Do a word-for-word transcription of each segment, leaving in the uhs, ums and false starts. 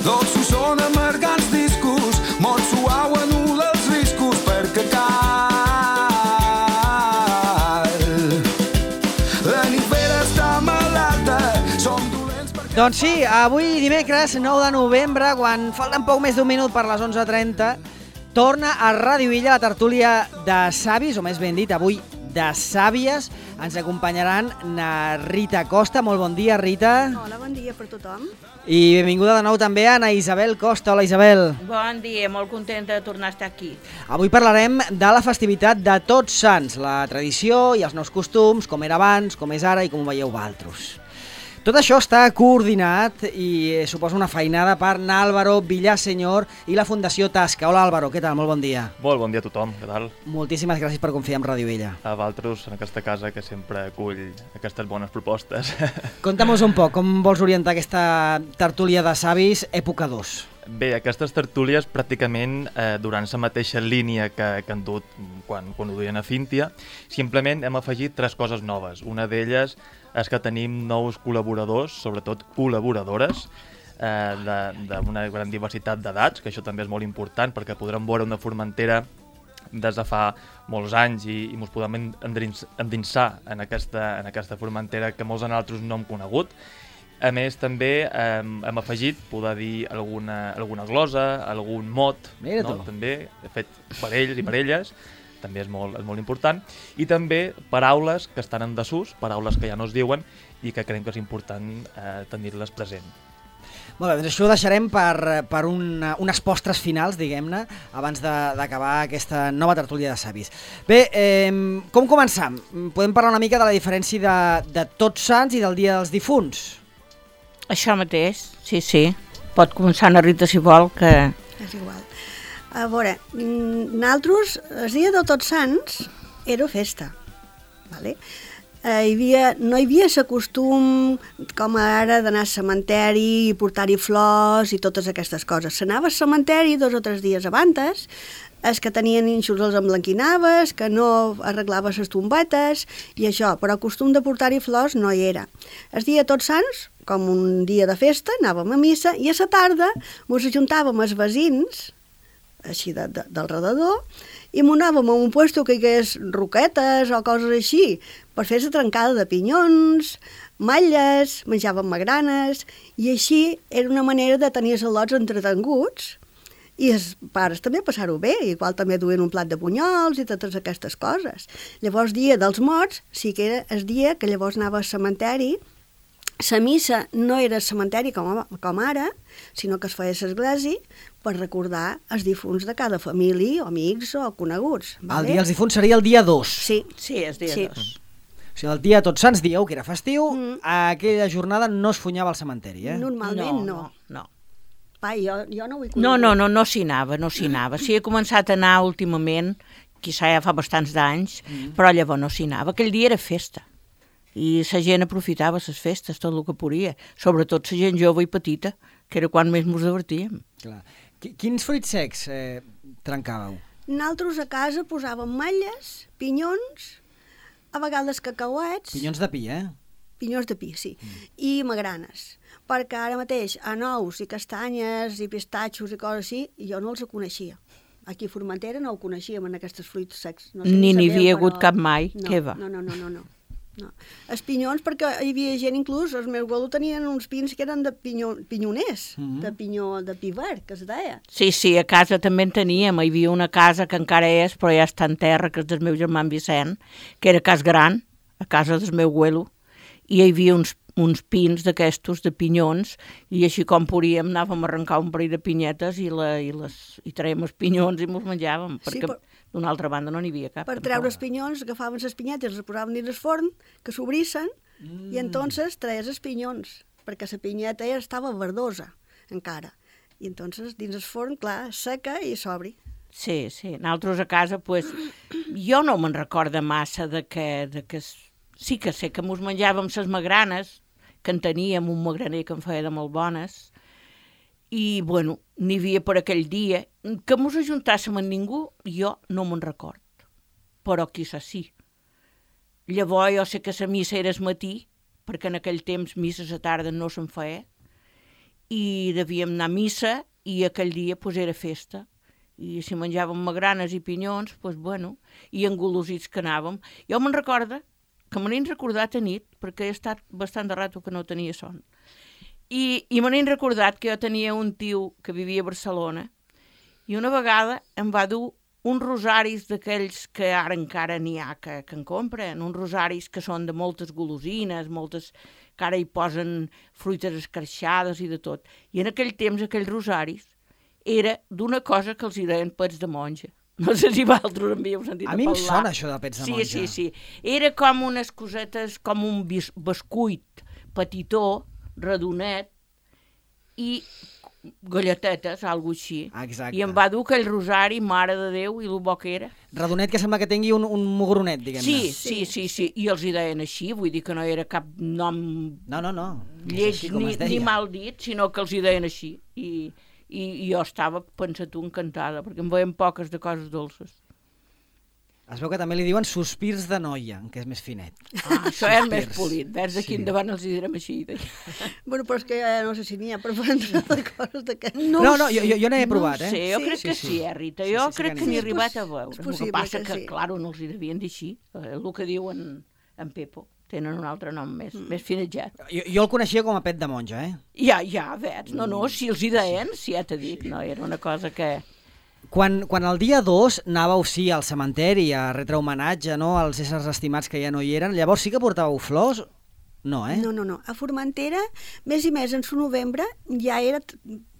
dolços són amargants discos, molt suau anul·la els riscos perquè cal. La nifera està malalta, som dolents perquè... Doncs sí, avui dimecres nou de novembre, quan falten poc més d'un minut per les onze trenta, torna a Ràdio Illa la tertúlia de savis, o més ben dit, avui de sàvies. Ens acompanyaran na Rita Costa. Molt bon dia, Rita. Hola, bon dia per tothom. I benvinguda de nou també a na Isabel Costa. Hola, Isabel. Bon dia, molt contenta de tornar a estar aquí. Avui parlarem de la festivitat de Tots Sants, la tradició i els nous costums, com era abans, com és ara i com ho veieu vosaltres. Tot això està coordinat i suposa una feinada per Álvaro Villaseñor i la Fundació Tasca. Hola, Álvaro, què tal? Molt bon dia. Molt bon dia a tothom, què tal? Moltíssimes gràcies per confiar en Ràdio Illa. A vosaltres, en aquesta casa, que sempre acull aquestes bones propostes. Conta'm-nos un poc, com vols orientar aquesta tertúlia de savis època dos? Bé, aquestes tertúlies pràcticament eh, durant la mateixa línia que, que han dut quan, quan ho duien a Cíntia, simplement hem afegit tres coses noves. Una d'elles és que tenim nous col·laboradors, sobretot col·laboradores, eh, d'una gran diversitat d'edats, que això també és molt important perquè podrem veure una Formentera des de fa molts anys i, i ens podem endinsar en aquesta, en aquesta Formentera que molts de nosaltres no hem conegut. A més, també eh, hem afegit, poder dir, alguna, alguna glosa, algun mot, no? També fet per ells i per elles, també és molt, és molt important, i també paraules que estan en desús, paraules que ja no es diuen i que creiem que és important eh, tenir-les present. Molt bé, doncs això ho deixarem per, per una, unes postres finals, diguem-ne, abans d'acabar aquesta nova tertúlia de savis. Bé, eh, com començam? Podem parlar una mica de la diferència de, de Tots Sants i del Dia dels Difunts? Això mateix, sí, sí. Pot començar una Rita si vol, que... És igual. A veure, nosaltres, el dia de Tots Sants era festa, vale? Eh, hi havia, no hi havia el costum, com ara, d'anar al cementeri i portar-hi flors i totes aquestes coses. S'anava al cementeri dos o tres dies abans, els que tenien ínxols els emblanquinaves, que no arreglaves les tombetes i això, però el costum de portar-hi flors no hi era. El dia de Tots Sants, com un dia de festa, anàvem a missa i a la tarda ens ajuntàvem els veïns, així de, de, del redador, i m'anàvem a un puesto que hi hagués roquetes o coses així, per fer la trencada de pinyons, malles, menjàvem magranes, i així era una manera de tenir els al·lots entretenguts, i els pares també passar-ho bé, igual també duien un plat de bunyols i totes aquestes coses. Llavors, dia dels morts, sí que era el dia que llavors anava al cementeri. La missa no era al cementeri com, com ara, sinó que es feia a l'església per recordar els difunts de cada família, o amics o coneguts. Vale? El dia dels difunts seria el dia dos. Sí. Sí, és dia sí. dos. O sigui, el dia de Tots Sants dieu que era festiu, Mm. aquella jornada no es funyava al cementeri, eh? Normalment no. No, no. Pa, jo, jo no ho he No, no, no, no s'hi anava, no s'hi anava. Sí, he començat a anar últimament, quizà ja fa bastants d'anys, mm. però llavors no s'hi anava. Aquell dia era festa. I la gent aprofitava les festes, tot el que podia. Sobretot la gent jove i petita, que era quan més ens divertíem. Clar. Quins fruits secs eh, trencàveu? Nosaltres a casa posàvem malles, pinyons, a vegades cacauets... Pinyons de pi, eh? Pinyons de pi, sí. Mm. I magranes. Perquè ara mateix a nous i castanyes i pistatxos i coses així, jo no els coneixia. Aquí a Formentera no ho coneixíem, en aquests fruits secs. No sé Ni n'hi havia però... hagut cap mai, no, què va? No, no, no, no, no. No. Els pinyons, perquè hi havia gent, inclús, els meus abuelos tenien uns pins que eren de pinyo, pinyoners, mm-hmm. de pinyó, de pi verd, que es deia. Sí, sí, a casa també en teníem. Hi havia una casa que encara és, però ja està en terra, que és del meu germà Vicent, que era cas gran, a casa del meu abuelo, i hi havia uns, uns pins d'aquestos, de pinyons, i així com podíem anàvem a arrencar un parell de pinyetes i, la, i, les, i traiem els pinyons i mos menjàvem, perquè... Sí, però... d'una altra banda no n'hi havia cap. Per treure els pinyons, agafaven les pinyetes, les posaven dins el forn, que s'obrissen, mm. i entonces traies els pinyons, perquè la pinyeta ja estava verdosa, encara. I entonces dins el forn, clar, seca i s'obri. Sí, sí. Nosaltres a casa, pues, jo no me'n recordo massa de que, de que... Sí que sé que mos menjàvem les magranes, que en teníem un magraner que en feia de molt bones, i, bueno, n'hi havia per aquell dia. Que mos ajuntàssim amb ningú, jo no me'n record. Però quizás sí. Llavors jo sé que la missa era el matí, perquè en aquell temps misses a tarda no se'n feia, i devíem anar a missa i aquell dia pues, era festa. I si menjàvem magranes i pinyons, pues, bueno, i engolosits que anàvem. Jo me'n recorda, que me n'he recordat a nit, perquè he estat bastant de rato que no tenia son. I, i me n'he recordat que jo tenia un tio que vivia a Barcelona i una vegada em va dur uns rosaris d'aquells que ara encara n'hi ha que, que en compren, uns rosaris que són de moltes golosines, moltes que ara hi posen fruites escarxades i de tot. I en aquell temps, aquells rosaris, era d'una cosa que els hi deien pets de monja. No sé si vosaltres en havíeu sentit a parlar. A mi em sona això de pets de monja. Sí, sí, sí. Era com unes cosetes, com un bis, bescuit petitó, redonet, i galletetes, alguna així. Exacte. I em va dur aquell rosari, mare de Déu, i el bo que era. Redonet que sembla que tingui un, un mugronet, diguem-ne. Sí, sí, sí, sí, i els hi deien així, vull dir que no era cap nom no, no, no. lleig ni, ni mal dit, sinó que els hi deien així. I, i, i jo estava, pensa tu, encantada, perquè em veien poques de coses dolces. Es veu que també li diuen sospirs de noia, que és més finet. Ah, això és més polit, vers d'aquí sí. Endavant els hi direm així. Bueno, però és que ja no sé si n'hi ha per prendre de coses d'aquest. No, no, no, jo, jo n'he provat, eh? No sé, jo sí? crec sí, que sí, sí, eh, Rita? Jo sí, sí, crec que, que n'hi he arribat a veure. El que passa que, que sí. Clar, no els hi devien dir així. El que diuen en Pepo. Tenen un altre nom més, mm. més finetjat. Jo, jo el coneixia com a pet de monja, eh? Ja, ja, veig. No, no, si els hi deien, si ja t'he dit, no, era una cosa que... Quan, quan el dia dos anàveu, sí, al cementeri a retre homenatge, no?, als éssers estimats que ja no hi eren, llavors sí que portàveu flors? No, eh? No, no, no. A Formentera, més i més en su novembre, ja era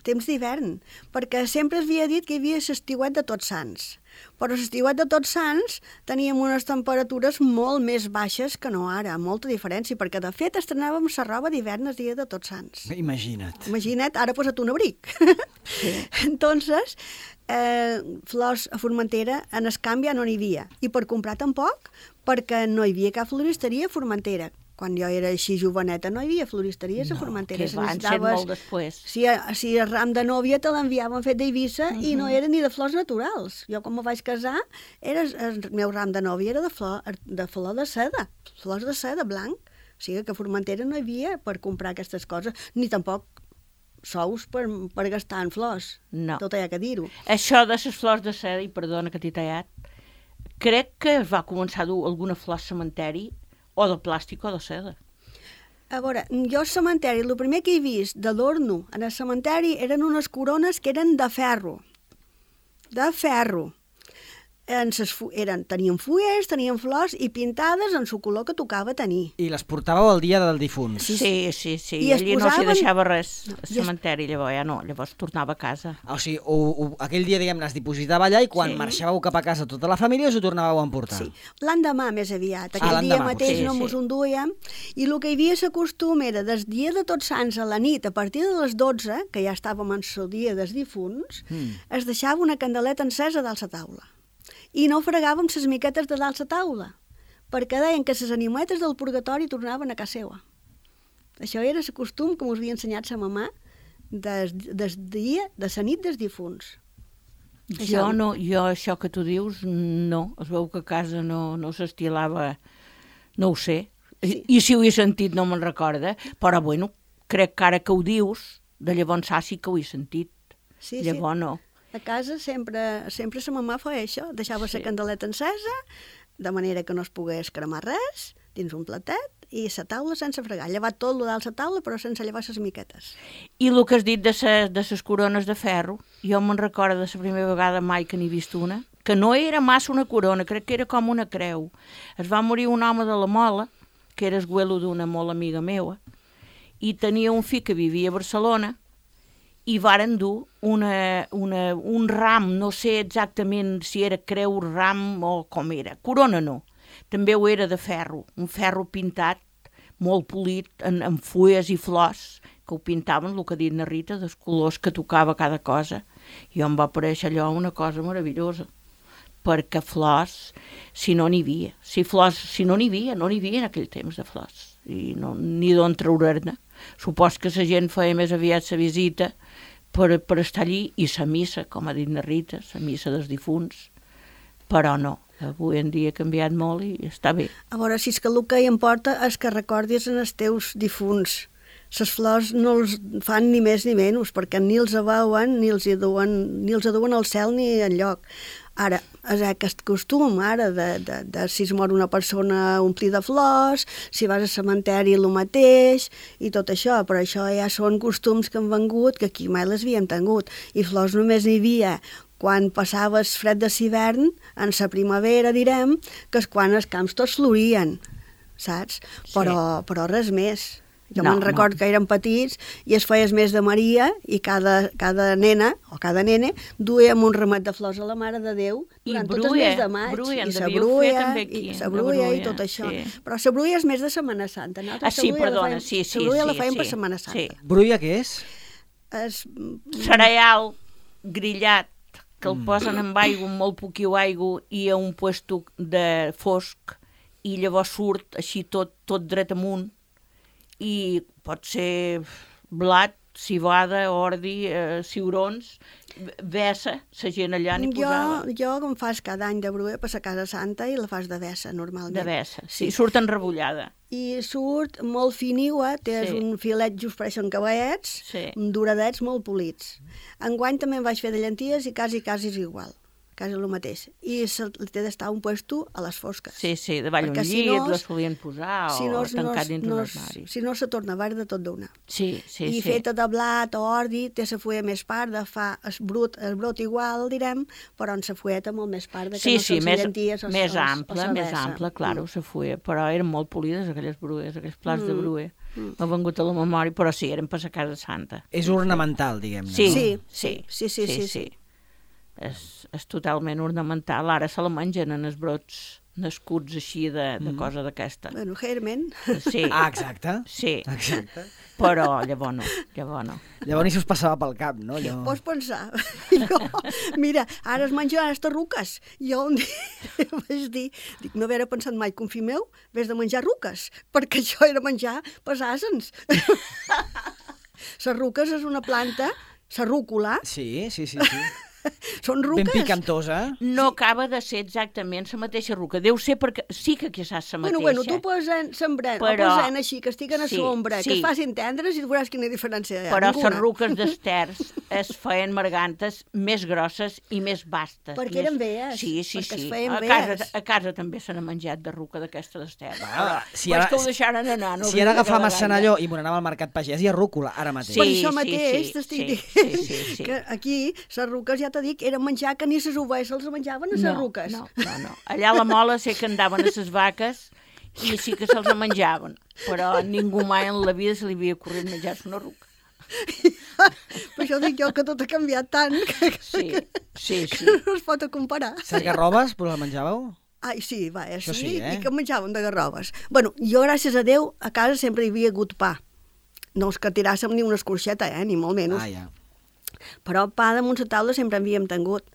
temps d'hivern, perquè sempre es havia dit que hi havia l'estiuet de Tots Sants. Però l'estiuet de Tots Sants teníem unes temperatures molt més baixes que no ara, molta diferència, perquè de fet estrenàvem la roba d'hivern el dia de Tots Sants. Imagina't. Imagina't, ara posa't un abric. Sí. Entonces, eh, flors a Formentera en el canvi ja no n'hi havia. I per comprar tampoc, perquè no hi havia cap floristeria a Formentera. Quan jo era així joveneta no hi havia floristeries no, a Formentera. Que van ser molt després. Si, si el ram de nòvia te l'enviaven fet d'Eivissa uh -huh. i no era ni de flors naturals. Jo quan me vaig casar, era, el meu ram de nòvia era de flor de, flor de seda, flors de seda blanc. O sigui que a Formentera no hi havia per comprar aquestes coses, ni tampoc sous per, per gastar en flors. No. Tot hi ha que dir-ho. Això de les flors de seda, i perdona que t'he tallat, crec que es va començar a dur alguna flor al cementeri o de plàstic o de seda. A veure, jo al cementeri, el primer que he vist d'adorno en el cementeri eren unes corones que eren de ferro. De ferro. En ses fu eren, tenien fulles, tenien flors i pintades en el color que tocava tenir. I les portàveu el dia del difunt. Sí, sí, sí. sí. I allí posaven... no s'hi deixava res no, al cementeri, es... llavors ja no, llavors tornava a casa. O sigui, o, o, aquell dia, diguem-ne, es dipositava allà i quan sí. marxàveu cap a casa tota la família us ho tornàveu a emportar. Sí, l'endemà més aviat. Aquell ah, dia mateix sí, no sí. mos en duíem i el que hi havia la costum era des dia de Tots Sants a la nit, a partir de les dotze, que ja estàvem en el dia dels difunts, mm. es deixava una candeleta encesa dalt la taula. I no fregàvem les miquetes de dalt la taula, perquè deien que les animetes del purgatori tornaven a casa seva. Això era el costum que mos havia ensenyat sa mamà des, des dia, de la nit dels difunts. Jo això... no, jo això que tu dius, no. Es veu que a casa no, no s'estilava, no ho sé. Sí. I, I si ho he sentit no me'n recorda, però bueno, crec que ara que ho dius, de llavors sí que ho he sentit. Sí, llavors sí. no. A casa sempre, sempre sa mamà feia això, deixava sí. la candeleta encesa, de manera que no es pogués cremar res, dins un platet, i la taula sense fregar. Llevat tot el dalt la taula, però sense llevar les miquetes. I el que has dit de ses, de ses corones de ferro, jo me'n recordo de la primera vegada mai que n'he vist una, que no era massa una corona, crec que era com una creu. Es va morir un home de la Mola, que era esguelo d'una molt amiga meua, i tenia un fill que vivia a Barcelona, i varen dur una, una, un ram, no sé exactament si era creu, ram o com era. Corona no, també ho era de ferro, un ferro pintat, molt polit, en, en fulles i flors, que ho pintaven, el que ha dit na Rita, dels colors que tocava cada cosa. I em va aparèixer allò una cosa meravellosa, perquè flors, si no n'hi havia, si flors, si no n'hi havia, no n'hi havia en aquell temps de flors, i no, ni d'on treure'ne. Supos que la gent feia més aviat la visita per, per estar allí, i la missa, com ha dit na Rita, la missa dels difunts, però no, avui en dia ha canviat molt i està bé. A veure, si és que el que hi importa és que recordis en els teus difunts, les flors no els fan ni més ni menys, perquè ni els veuen, ni els hi duen, ni els duen al cel ni enlloc. Ara, és aquest costum, ara, de, de, de si es mor una persona omplir de flors, si vas al cementeri el mateix, i tot això, però això ja són costums que han vengut, que aquí mai les havíem tingut, i flors només n'hi havia quan passava el fred de l'hivern, en la primavera, direm, que és quan els camps tots florien, saps? Però, sí. però res més. Jo no, me'n record no. que eren petits i es feia el mes de Maria i cada, cada nena o cada nene duíem un ramet de flors a la Mare de Déu durant I tot bruia, el mes de maig. Bruia, I la bruia, aquí, i la bruia i tot això. Sí. Però la bruia és més de Setmana Santa. Ah, sí, perdona, sí, sí. La bruia sí, la feien sí, per Setmana Santa. Sí. Bruia què és? És... Cereal grillat, que el posen amb aigua, molt poquiu aigua, i a un puesto de fosc, i llavors surt així tot, tot dret amunt, i pot ser blat, civada, ordi, eh, ciurons, vessa, la gent allà n'hi posava. Jo, jo com fas cada any de bruia per la Casa Santa i la fas de vessa, normalment. De vessa, sí, sí. Surt enrebollada. I surt molt finiua, té sí. un filet just pareixen cavallets, sí. duradets molt polits. Enguany també en vaig fer de llenties i quasi, quasi és igual. Quasi el mateix. I se, té d'estar un puesto a les fosques. Sí, sí, davall un llit, si no, la solien posar si o no, tancat no, dins no, un armari. Si no, se torna verda tot d'una. Sí, sí, I sí. feta de blat o ordi, té la fulla més parda, fa el brut, el brot igual, direm, però en la fulleta molt més parda, que sí, no sí, són més, llenties o més o, ample, o més ample, claro, mm. la fulla, però eren molt polides aquelles brues, aquells plats mm. de bruer. Mm. M'ha vengut a la memòria, però sí, eren per la Casa Santa. És ornamental, diguem-ne. Sí, no? sí, sí, sí, sí, sí, sí. sí. És, és totalment ornamental. Ara se la mengen en els brots nascuts així de, de mm. cosa d'aquesta. Bueno, germen. Sí. Ah, exacte. Sí. Exacte. Però llavors no, llavors no. Llavors ni se us passava pel cap, no? Allò... Pots pensar. Jo, mira, ara es menjaran les ruques. Jo un dia vaig dir, dic, no haver pensat mai que un fill meu vés de menjar ruques, perquè això era menjar pesàssens. Les ruques és una planta, la rúcula. Sí, sí, sí, sí. Són ruques. Ben picantosa. No acaba de ser exactament la mateixa ruca. Deu ser perquè sí que quizás la mateixa. Bueno, bueno, tu posen sembrant, però... o posen així, que estiguen a sí, sombra, sí. que es facin tendres i tu veuràs quina diferència hi ha. Però ninguna. les ruques d'esters es feien margantes més grosses i més bastes. Perquè més... eren veies. Sí, sí, perquè sí. es feien A casa, veies. a casa també se n'ha menjat de ruca d'aquesta d'ester. Ah, si però ara, és que ho deixaren anar. No si ara agafam a Senalló i me n'anava al Mercat Pagès, hi ha rúcula, ara mateix. Sí, Per això sí, mateix sí, t'estic sí, dient sí, sí, sí. que aquí les ruques, ja t'he dit, eren menjar que ni les ovelles se'ls menjaven a les no, ruques. No, no, no. Allà a la Mola sé que andaven a les vaques i sí que se'ls menjaven, però ningú mai en la vida se li havia ocorrit menjar-se una ruca. Per això dic jo que tot ha canviat tant que, Sí, que, sí, sí. que no es pot comparar. Les garrobes, però la menjàveu? Ai, sí, va, Això sí, sí, eh? i que menjaven de garrobes. Bueno, jo, gràcies a Déu, a casa sempre hi havia hagut pa. No és que tiràssim ni una escorxeta, eh, ni molt menys. Ah, ja. Però pa damunt la taula sempre en havíem tingut.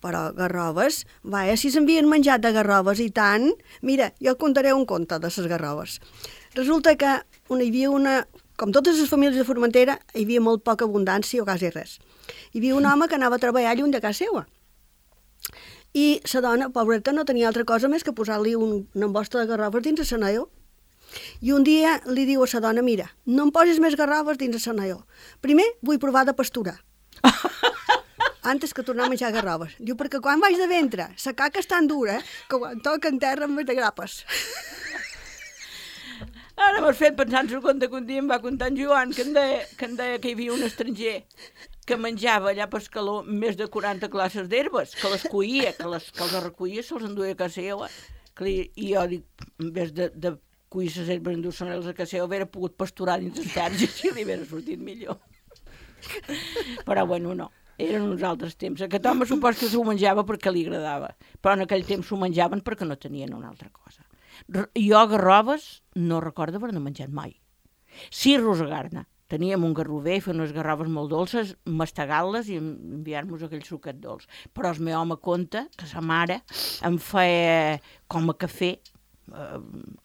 Però garrobes, vaja, si s'havien menjat de garrobes i tant... Mira, jo contaré un conte de les garrobes. Resulta que hi havia una... Com totes les famílies de Formentera, hi havia molt poca abundància o quasi res. Hi havia un home que anava a treballar lluny de casa seva. I la dona, pobreta, no tenia altra cosa més que posar-li un, una embosta de garrobes dins el senaió. I un dia li diu a la dona, mira, no em posis més garrobes dins el senaió. Primer vull provar de pasturar. Antes que tornar a menjar garrobes. Diu, perquè quan vaig de ventre, la caca és tan dura que quan toca en terra em de grapes. Ara m'has fet pensar en el conte que un dia em va contar en Joan, que em deia que, em deia que hi havia un estranger que menjava allà per Escaló més de quaranta classes d'herbes, que les coïa, que, les, que els recollia, se'ls enduia a casa seva. Que li, I jo dic, en vez de, de coir les herbes, endur-se-les a casa seva, hauria pogut pasturar dins els terres i així li hauria sortit millor. Però bueno, no. Eren uns altres temps. Aquest home supos que s'ho menjava perquè li agradava, però en aquell temps s'ho menjaven perquè no tenien una altra cosa. Jo garrobes no recordo haver-ne menjat mai. Sí, rosegar-ne. Teníem un garrover, fer unes garrobes molt dolces, mastegant-les i enviar-nos aquell suquet dolç. Però el meu home conta que sa mare em feia com a cafè, eh,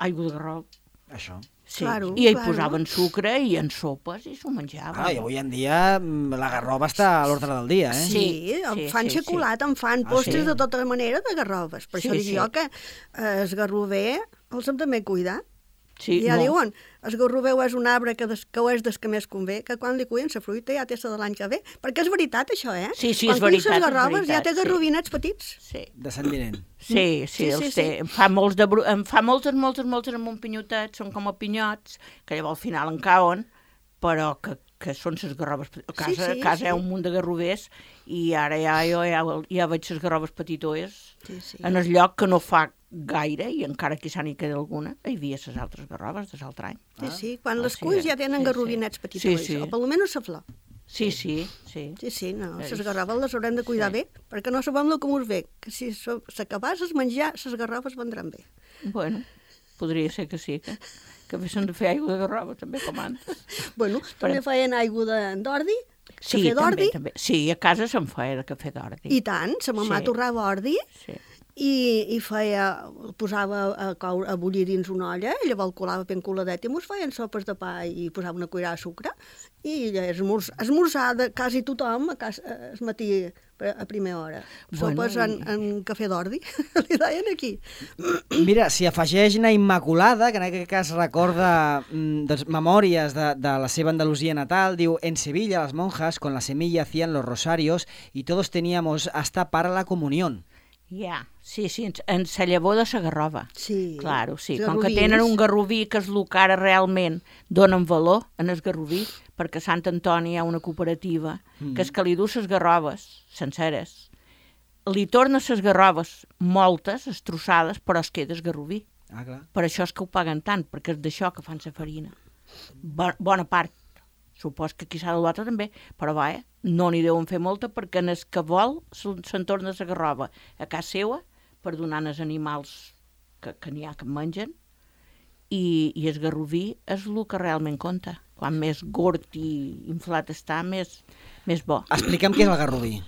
aigua de garrop. Això. Sí, Claro, i hi claro. posaven sucre i en sopes i s'ho menjaven. Ah, i avui en dia la garroba està a l'ordre del dia, eh? Sí, Sí, em sí, fan sí, xocolata, em fan Ah, postres sí? de tota manera de garrobes. Per Sí, això dic sí. jo que eh, el garrover els hem també cuidar. Sí, I ja no. diuen, el garroveu és un arbre que, des, que és des que més convé, que quan li cuien la fruita ja té la de l'any que ve, perquè és veritat això, eh? Sí, sí, quan és veritat, les és garroves veritat, ja té sí. garrovinets petits. Sí. De Sant Vinent. Sí, sí, Sí, els sí, té. sí. Em fa, molts de, bru- em fa moltes, moltes, moltes amb un pinyotet, són com a pinyots, que llavors al final en cauen, però que, que són les garroves. A casa, Sí, sí, a casa sí. hi ha un munt de garrovers i ara ja, jo ja, ja veig les garroves petitoes Sí, sí. en el lloc que no fa gaire, i encara que s'ha n'hi queda alguna, hi havia les altres garroves de l'altre any. Sí, sí, quan Ah, les sí, cuis ja sí, tenen sí. garrovinets petits, Sí, sí. o per almenys la flor. Sí, sí, sí. Sí, sí, no, És- les garroves les haurem de cuidar sí. bé, perquè no sabem el que us ve, que si s'acabàs es menjar, les garroves vendran bé. Bueno, podria ser que sí, que, que haguessin de fer aigua de garrova, també, com antes. Bueno, també feien aigua de- d'ordi, Sí, cafè d'ordi, també, també. Sí, a casa se'n feia de cafè d'ordi. i tant, sa mamà Sí. torrava ordi, Sí. i, i feia, el posava a, coure, a bullir dins una olla, i llavors el colava ben coladet, i mos feien sopes de pa i posava una cuirada de sucre, i esmorz, esmorzar de quasi tothom a casa, el matí a primera hora. Bueno, Sopes en, i- en cafè d'ordi, li deien aquí. Mira, s'hi afegeix na Immaculada, que en aquest cas recorda mm, doncs, memòries de, de la seva Andalusia natal, diu: en Sevilla las monjas con la semilla hacían los rosarios y todos teníamos hasta para la comunión. Ja, sí, sí, en, en sa llavor de sa garrova. Sí. Claro, sí. Els Com que garrovins. tenen un garroví que és el que ara realment donen valor en el garroví, perquè a Sant Antoni hi ha una cooperativa mm. que és que li du ses garroves senceres, li torna ses garroves moltes, estrossades, però es queda el garroví. Ah, clar. Per això és que ho paguen tant, perquè és d'això que fan la farina. Bo, bona part. Supos que qui s'ha de l'altre també, però va, eh? No n'hi deuen fer molta perquè en el que vol se'n se torna la garrova a casa seva per donar als animals que, que n'hi ha que mengen, i, i el garroví és el que realment compta. Quan més gord i inflat està, més, més bo. Explica'm què és el garroví.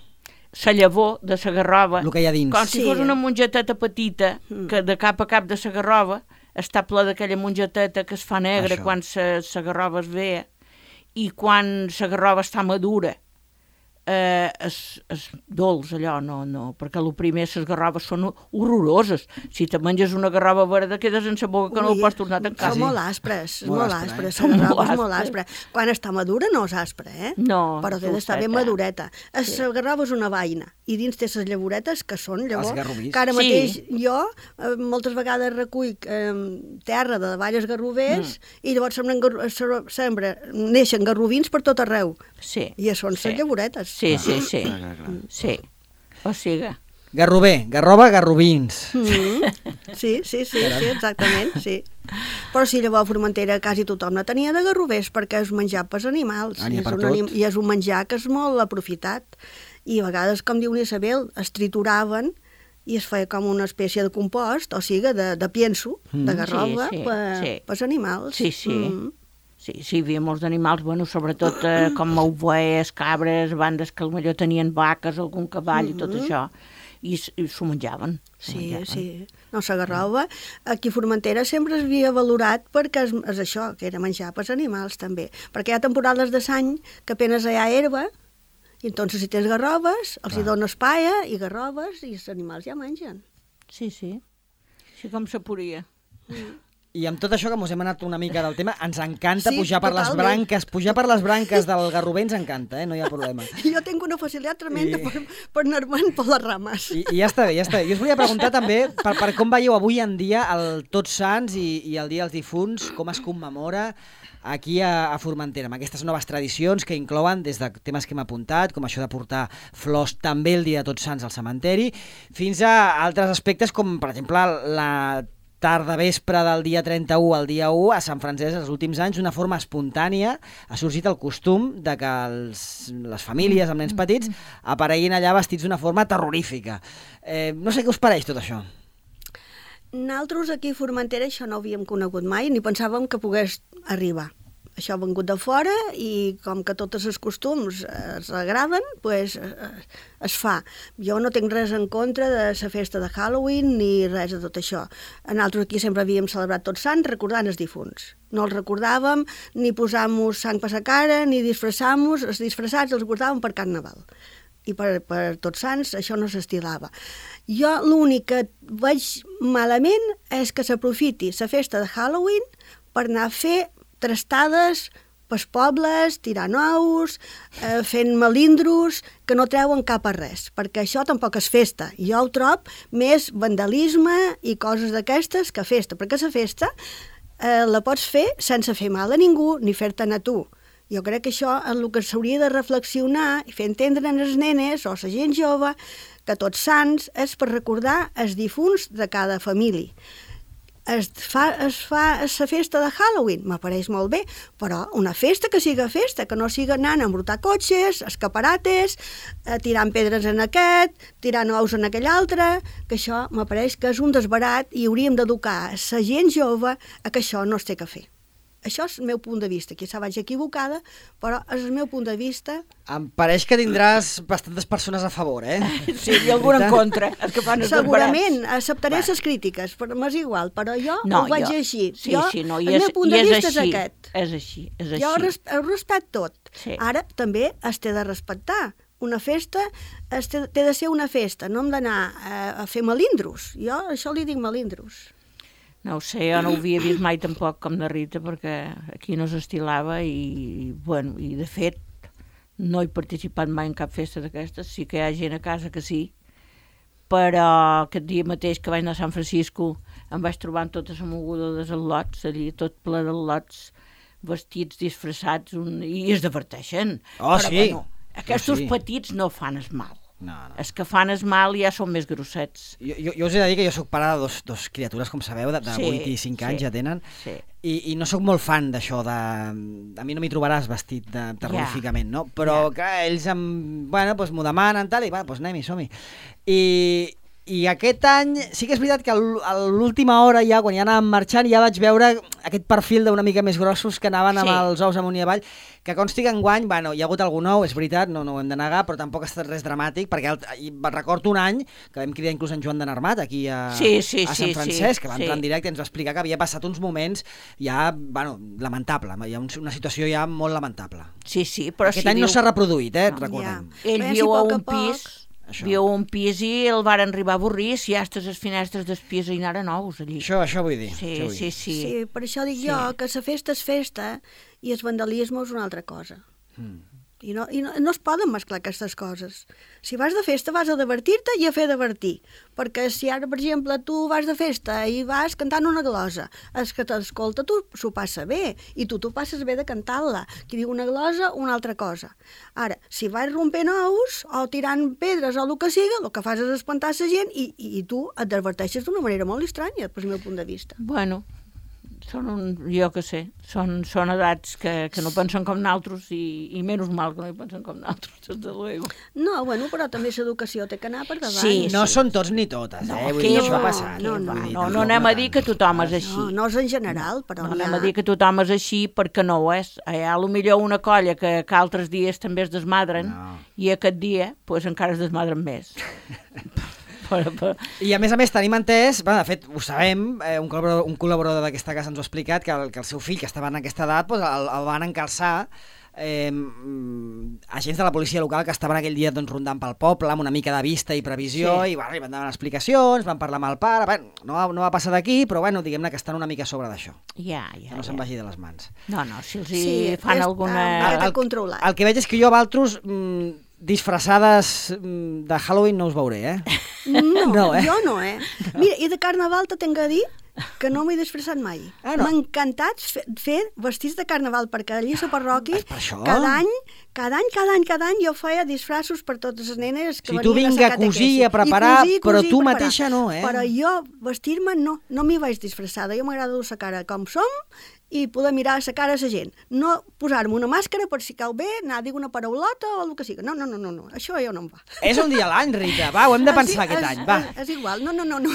La llavor de la garrova, El que hi ha dins. com si Sí. fos una mongeteta petita, que de cap a cap de la garrova està ple d'aquella mongeteta que es fa negra Això. quan la garrova es ve, i quan la garrova està madura eh, és, és dolç allò, no, no, perquè el primer les garroves són horroroses. Si te menges una garrova verda quedes en la boca que no Ui, ho pots tornar a tancar. Són molt aspres, Molt molt, aspre, aspres, eh? la Són garrova molt és molt aspre. aspre. Quan està madura no és aspre, eh? No, Però té d'estar ben dolceta. madureta. Sí. La garrova és una vaina, i dins té les llavoretes, que són llavors... garrovís. Que ara Sí. mateix jo eh, moltes vegades recull eh, terra de valles garrovers, mm. i llavors sembren, garro- se- sembra, neixen garrovins per tot arreu. Sí. I són sí. les llavoretes. Sí, sí, sí. Clar, clar, clar. Sí. O sigui, Garrover, garrova, garrovins. Mm. Sí, sí, sí, sí, exactament, sí. Però sí, llavors a Formentera quasi tothom la tenia de garrovers perquè és menjar pels animals. Ah, n'hi ha I és per un tot. anim- I és un menjar que és molt aprofitat. I a vegades, com diu Isabel, es trituraven i es feia com una espècie de compost, o sigui, de, de pienso, Mm. de garrova, Sí, sí, per, sí. pels animals. Sí, sí. Mm. sí, sí, hi havia molts d'animals, bueno, sobretot eh, com ovelles, cabres, bandes que potser tenien vaques, algun cavall i tot això, i, s- i s'ho menjaven. s'ho Sí, menjaven. sí. No, la garrova, aquí a Formentera sempre es havia valorat perquè és, és això, que era menjar pels animals també. Perquè hi ha temporades de l'any que apenas hi ha herba, i entonces si tens garroves, els hi dones paia i garroves i els animals ja mengen. Sí, sí. Així com se podia. I amb tot això que mos hem anat una mica del tema, ens encanta Sí, pujar per les totalment. branques, pujar per les branques del garrover ens encanta, eh? No hi ha problema. Jo tinc una facilitat tremenda I- per, per anar-me'n per les rames. I, I ja està bé, ja està bé. Jo us volia preguntar també per, per com veieu avui en dia el Tots Sants i, i el Dia dels Difunts, com es commemora aquí a, a Formentera, amb aquestes noves tradicions que inclouen des de temes que hem apuntat, com això de portar flors també el dia de Tots Sants al cementeri, fins a altres aspectes com, per exemple, la tarda vespre del dia trenta-u al dia u a Sant Francesc, els últims anys, d'una forma espontània ha sorgit el costum de que els, les famílies amb nens petits apareguin allà vestits d'una forma terrorífica. Eh, no sé què us pareix tot això. Nosaltres aquí a Formentera això no ho havíem conegut mai, ni pensàvem que pogués arribar. Això ha vengut de fora i com que tots els costums es agraden, pues, es fa. Jo no tinc res en contra de la festa de Halloween ni res de tot això. Nosaltres aquí sempre havíem celebrat Tots Sants recordant els difunts. No els recordàvem, ni posàvem sang per la cara, ni disfressàvem, els disfressats els guardàvem per Carnaval. I per, per Tots Sants això no s'estilava. Jo l'únic que veig malament és que s'aprofiti la festa de Halloween per anar a fer trastades pels pobles, tirant ous, eh, fent melindros, que no treuen cap a res, perquè això tampoc és festa. Jo ho trob més vandalisme i coses d'aquestes que festa, perquè la festa eh, la pots fer sense fer mal a ningú ni fer-te'n a tu. Jo crec que això és el que s'hauria de reflexionar i fer entendre a les nenes o a la gent jove que Tots Sants és per recordar els difunts de cada família. Es fa, es fa la festa de Halloween, m'apareix molt bé, però una festa que siga festa, que no siga anant a embrutar cotxes, escaparates, eh, tirant pedres en aquest, tirant ous en aquell altre, que això m'apareix que és un desbarat i hauríem d'educar la gent jove a que això no es té que fer. Això és el meu punt de vista, quizà vaig equivocada, però és el meu punt de vista. Em pareix que tindràs bastantes persones a favor, eh? Sí, i alguna en contra. Els que fan els Segurament, acceptaré les crítiques, però m'és igual, però jo no, ho vaig jo, així. Sí, jo, sí, no, el és, meu punt de és vista així, és aquest. És així, és així. Jo res, ho respecto tot. Sí. Ara també es té de respectar. Una festa es té, té de ser una festa, no hem d'anar a, a fer melindros. Jo això li dic melindros. No ho sé, jo no ho havia vist mai tampoc com de Rita, perquè aquí no s'estilava i, bueno, i de fet no he participat mai en cap festa d'aquestes. Sí que hi ha gent a casa que sí, però aquest dia mateix que vaig anar a San Francisco em vaig trobar amb tota la moguda dels al·lots, allí tot ple d'al·lots, vestits, disfressats, un... i es diverteixen. Oh, però, sí. Bueno, aquests oh, sí. petits no fan es mal. No, no. Els que fan es mal ja són més grossets. Jo, jo, jo us he de dir que jo sóc pare de dos, dos criatures, com sabeu, de, de Sí, vuit i cinc anys sí, ja tenen, sí. i, i no sóc molt fan d'això, de... a mi no m'hi trobaràs vestit de, terroríficament, no? Però Ja. clar, ells em... bueno, doncs m'ho demanen, tal, i va, doncs anem-hi, som-hi. I, I aquest any sí que és veritat que a l'última hora ja, quan ja anàvem marxant, ja vaig veure aquest perfil d'una mica més grossos que anaven amb Sí. els ous amunt i avall, que consti que enguany, bueno, hi ha hagut algun nou, és veritat, no, no ho hem de negar, però tampoc ha estat res dramàtic, perquè el, i recordo un any que vam cridar inclús en Joan de Narmat aquí a, Sí, sí, a sí, Sant Francesc, sí, que va sí. entrar en directe i ens va explicar que havia passat uns moments ja, bueno, lamentable, hi ha un, una situació ja molt lamentable. Sí, sí, però Aquest si any viu... no s'ha reproduït, eh, No. recordem. Ja. Ell Bé, si viu a poc a un poc- pis, Això. viu a un pis i el van arribar a avorrir si ja estàs les finestres del pis i anaren nous allí. Això, això vull dir. Sí, això vull sí, dir. sí, Sí, per això dic Sí. jo que la festa és festa i el vandalisme és una altra cosa. Mm. I no, i no, no es poden mesclar aquestes coses. Si vas de festa vas a divertir-te i a fer divertir. Perquè si ara, per exemple, tu vas de festa i vas cantant una glosa, el que t'escolta tu s'ho passa bé i tu t'ho passes bé de cantar-la. Qui diu una glosa, una altra cosa. Ara, si vas rompent ous o tirant pedres o el que siga, el que fas és espantar la gent i, i, i tu et diverteixes d'una manera molt estranya, des del meu punt de vista. Bueno, són un, jo que sé, són, són edats que, que no pensen com nosaltres i, i menys mal que no hi pensen com nosaltres, des de luego. No, bueno, però també l'educació té que anar per davant. Sí, No són tots ni totes, No, eh? Vull que dir, això va, ha passat. no, vull no, dir, No, tampoc no anem a dir tant. que tothom és així. No, no és en general, però No n'hi anem ha... a dir que tothom és així perquè no ho és. Hi ha potser una colla que, que altres dies també es desmadren No. i aquest dia pues, encara es desmadren més. però, però... I a més a més tenim entès, bueno, de fet ho sabem, eh, un col·laborador, un col·laborador d'aquesta casa ens ho ha explicat, que el, que el seu fill, que estava en aquesta edat, doncs, el, el van encalçar eh, agents de la policia local que estaven aquell dia doncs, rondant pel poble amb una mica de vista i previsió, Sí. i bueno, li van donar explicacions, van parlar amb el pare, bueno, no, va, no va passar d'aquí, però bueno, diguem-ne que estan una mica a sobre d'això, Ja, ja, que no se'n ja. vagi de les mans. No, no, si els hi Sí, fan està alguna... una miqueta El- controlat. El que veig és que jo a Valtros mm, disfressades mm, de Halloween no us veuré, eh? No, No, eh? jo no, eh? Mira, i de carnaval te tinc a dir que no m'he disfressat mai. Ah, no? M'ha encantat fer, fer vestits de carnaval, perquè allí a la parròquia, És per això? cada any, cada any, cada any, cada any, jo feia disfressos per totes les nenes que O sigui, tu venien vinga a a cosir catequesi. i a preparar, I cosir, però cosir, tu preparar. mateixa no, eh? Però jo, vestir-me, no, no m'hi vaig disfressada. Jo m'agrada dur la cara com som i poder mirar la cara a la gent. No posar-me una màscara per si cau bé, anar a dir una paraulota o el que sigui. No, no, no, no, no. Això ja no em va. És un dia a l'any, Rita, va, ho hem de Ah, pensar sí? aquest És- any, va. És, és igual, no, no, no, no.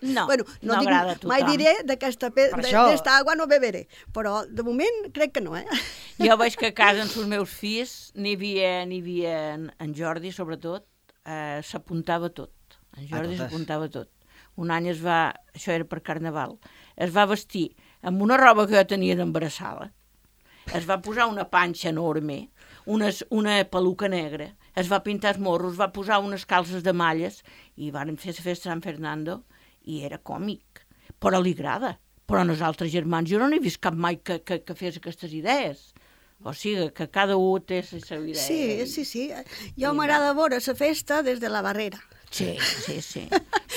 No, bueno, no, no dic, agrada a tothom. mai diré d'aquesta pe- Per de- això- d'esta agua no beberé, però de moment crec que no, eh? Jo veig que a casa amb els meus fills n'hi havia, n'hi havia en, en Jordi, sobretot, eh, s'apuntava tot. En Jordi totes. s'apuntava tot. Un any es va, això era per Carnaval, es va vestir amb una roba que jo tenia d'embarassada, es va posar una panxa enorme, unes, una peluca negra, es va pintar els morros, va posar unes calces de malles i van fer la festa de San Fernando i era còmic, però li agrada, Però nosaltres germans, jo no n'he vist cap mai que, que, que fes aquestes idees. O sigui, que cada un té la seva idea. Sí, sí, sí. Jo m'agrada veure la festa des de la barrera. Sí, sí, sí.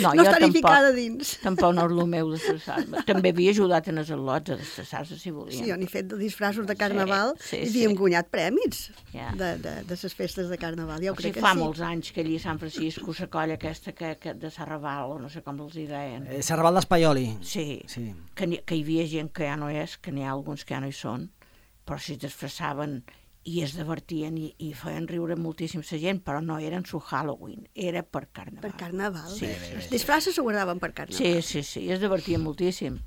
No, No jo estar-hi tampoc, ficada dins. tampoc no és el meu d'estressar-me. També havia ajudat en els al·lots a destressar-se, si volien. Sí, jo n'he fet de disfraços de carnaval Sí, sí, i havíem sí. guanyat prèmits Ja. de, de, de les festes de carnaval. Jo O crec sigui, que fa sí. molts anys que allí a Sant Francisco, la colla aquesta que, que de Sarraval, o no sé com els hi deien. Eh, Serval d'Espaioli. Sí, Sí. que, n'hi- que hi havia gent que ja no és, que n'hi ha alguns que ja no hi són, però si es disfressaven i es divertien i, i feien riure moltíssim la gent, però no eren su Halloween, era per carnaval. Per carnaval. Sí, Els disfraces s'ho guardaven per carnaval. Sí, sí, sí, i es divertien moltíssim.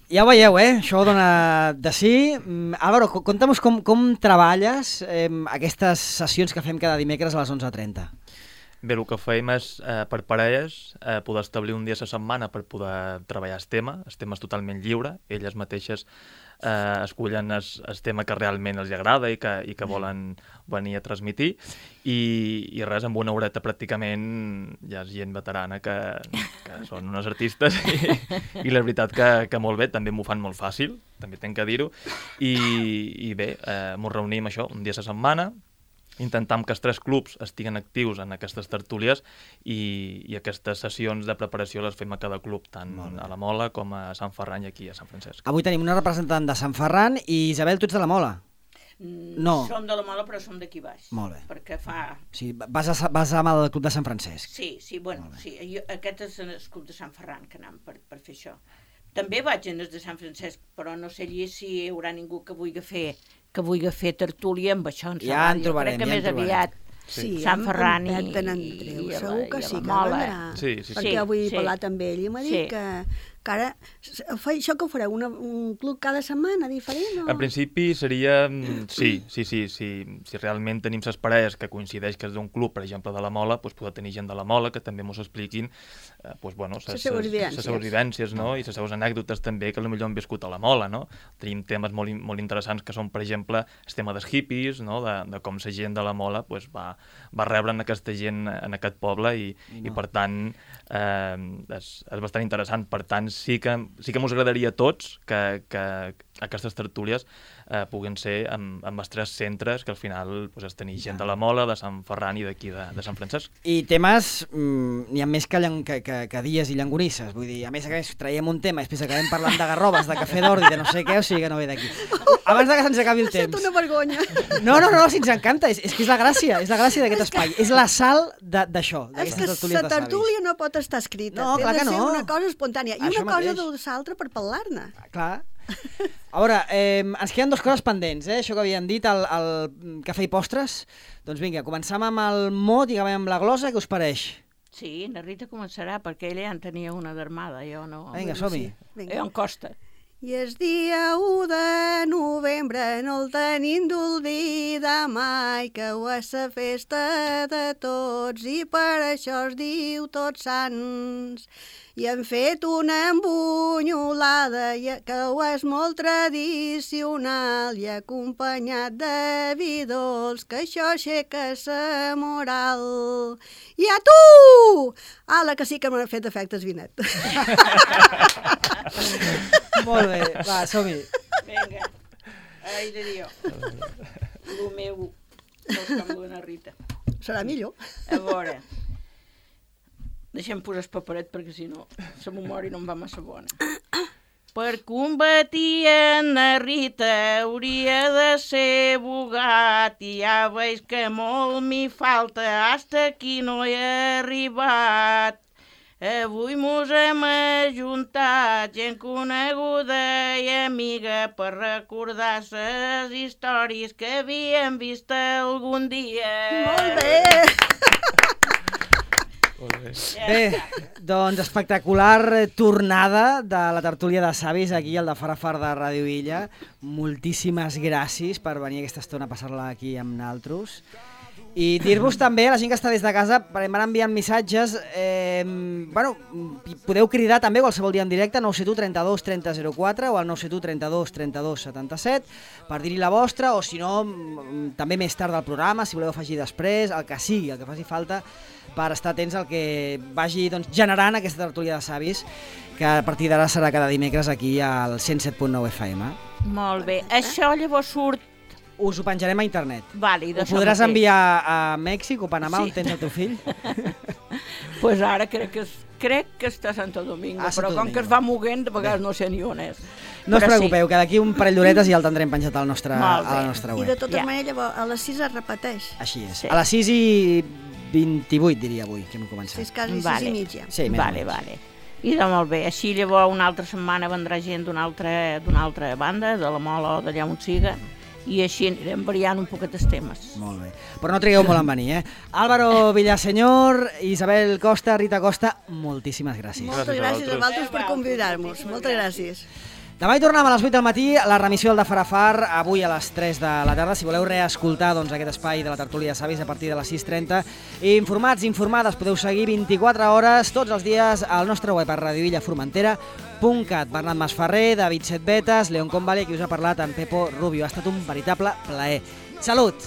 Ja ho veieu, eh? Això dona de sí. Mm, Álvaro, co- conta'm com, com treballes eh, aquestes sessions que fem cada dimecres a les onze trenta. Bé, el que fèiem és, eh, per parelles, eh, poder establir un dia a la setmana per poder treballar el tema. El tema és totalment lliure. Elles mateixes eh, escullen el, el tema que realment els agrada i que, i que volen venir a transmitir. I, i res, amb una horeta pràcticament ja és gent veterana que, que són unes artistes i, i la veritat que, que molt bé, també m'ho fan molt fàcil, també tenc que dir-ho. I, I bé, eh, m'ho reunim això un dia a la setmana, intentam que els tres clubs estiguen actius en aquestes tertúlies i, i aquestes sessions de preparació les fem a cada club, tant a la Mola com a Sant Ferran i aquí a Sant Francesc. Avui tenim una representant de Sant Ferran i Isabel, tu ets de la Mola. No. Som de la Mola, però som d'aquí baix. Molt bé. Perquè fa... Sí, vas, a, vas amb el club de Sant Francesc. Sí, sí, bueno, sí, jo, aquest és el club de Sant Ferran que anem per, per fer això. També vaig en els de Sant Francesc, però no sé allí si hi haurà ningú que vulgui fer que vulgui fer tertúlia amb això en Ja en trobarem, crec que ja en més trobarem. aviat Sí, Sant Ferran en, i, en Pep de n'Andreu, i a la- segur que i a sí la que Mola. vendrà. Sí, sí, sí. Perquè Sí, avui he sí. parlat amb ell i m'ha dit Sí. que, que ara... Fa, això que ho fareu, una, un club cada setmana diferent? O... En principi seria... mm, Sí, sí, sí, sí. Si realment tenim les parelles que coincideix que és d'un club, per exemple, de la Mola, doncs poder tenir gent de la Mola que també mos expliquin eh, doncs, bueno, Les seues vivències. les seues vivències, no? I les seues anècdotes també que potser han viscut a la Mola, no? Tenim temes molt, in- molt interessants que són, per exemple, el tema dels hippies, no? De, de com la gent de la Mola doncs, va, va rebre en aquesta gent en aquest poble i, i per tant eh, és, és bastant interessant. Per tant, sí que, sí que mos agradaria a tots que, que aquestes tertúlies eh, puguin ser amb, amb els tres centres, que al final pues, és tenir gent de la Mola, de Sant Ferran i d'aquí de, de Sant Francesc. I temes, mm, n'hi ha més que, llan- que, que, que dies i llangonisses. Vull dir, a més, a més, traiem un tema, després acabem parlant de garrobes, de cafè d'ordi, de no sé què, o sigui que no ve d'aquí. Abans de que se'ns acabi el Sento temps. una vergonya. No, no, no, si ens encanta, és, és que és la gràcia, és la gràcia d'aquest espai, és la sal de- d'això, És d'aquestes que tertúlies la de savis. tertúlia no pot estar escrita. No, Té clar de que ser no. una cosa espontània. I Això una cosa mateix. de l'altra per parlar-ne. Clar. A veure, eh, ens queden dues coses pendents, eh? Això que havien dit, el, el cafè i postres. Doncs vinga, començam amb el mot i acabem amb la glosa, què us pareix? Sí, la Rita començarà, perquè ella ja en tenia una d'armada, jo no. Vinga, som-hi. Vinga. Jo em costa. I el dia u de novembre no el tenim d'oblidar mai, que ho és la festa de tots i per això es diu Tots Sants. I hem fet una embunyolada i- que ho és molt tradicional i acompanyat de vi dolç, que això aixeca la moral. I a tu! Ala, que sí que m'ha fet efectes vinet. Molt bé, va, som-hi. Vinga. Ai, de Déu. Lo meu no és com la Rita. Serà millor. A veure, deixem posar el paperet perquè si no la memòria no em va massa bona. Per combatir en la Rita hauria de ser bogat i ja veig que molt m'hi falta, hasta aquí no he arribat. Avui mos hem ajuntat gent coneguda i amiga per recordar les històries que havíem vist algun dia. Molt bé! Bé, doncs espectacular tornada de la tertúlia de savis aquí al de Farafar de Ràdio Illa. Moltíssimes gràcies per venir aquesta estona a passar-la aquí amb naltros. I dir-vos també, a la gent que està des de casa, van enviant missatges, eh, bueno, podeu cridar també qualsevol dia en directe, nou set u trenta-dos trenta zero quatre o al nou set u trenta-dos trenta-dos setanta-set, per dir-hi la vostra, o si no, també més tard del programa, si voleu afegir després, el que sigui, el que faci falta, per estar atents al que vagi doncs, generant aquesta tertúlia de savis, que a partir d'ara serà cada dimecres aquí al cent set punt nou F M. Molt bé. Això llavors surt... Us ho penjarem a internet. Vale, ho podràs enviar a Mèxic o Panamà, sí. On tens el teu fill? Doncs pues ara crec que, crec que està a Santo Domingo, ah, però com que es va moguent, de vegades bé. No sé ni on és. No us preocupeu, sí. Que d'aquí un parell d'horetes ja el tindrem penjat al nostre, a la nostra web. I de totes ja. Maneres, llavors, a les sis es repeteix. Així és. Sí. A les sis i vint-i-vuit, diria avui, que hem començat. Sí, és quasi vale. sis i mitja. Sí, vale, vale. I de molt bé. Així llavors una altra setmana vendrà gent d'una altra, d'una altra banda, de la Mola o d'allà on siga, i així anirem variant un poquet els temes. Molt bé. Però no trigueu molt en venir, eh? Álvaro Villaseñor, Isabel Costa, Rita Costa, moltíssimes gràcies. Moltes gràcies, gràcies a vosaltres per convidar-nos. Moltes gràcies. Demà hi tornem a les vuit del matí, la remissió del de Farafar, avui a les tres de la tarda. Si voleu reescoltar doncs, aquest espai de la tertúlia de savis a partir de les sis trenta. Informats, informades, podeu seguir vint-i-quatre hores tots els dies al nostre web a radioilla formentera punt cat. Bernat Masferrer, David Setbetes, León Convali, qui us ha parlat, en Pepo Rubio. Ha estat un veritable plaer. Salut!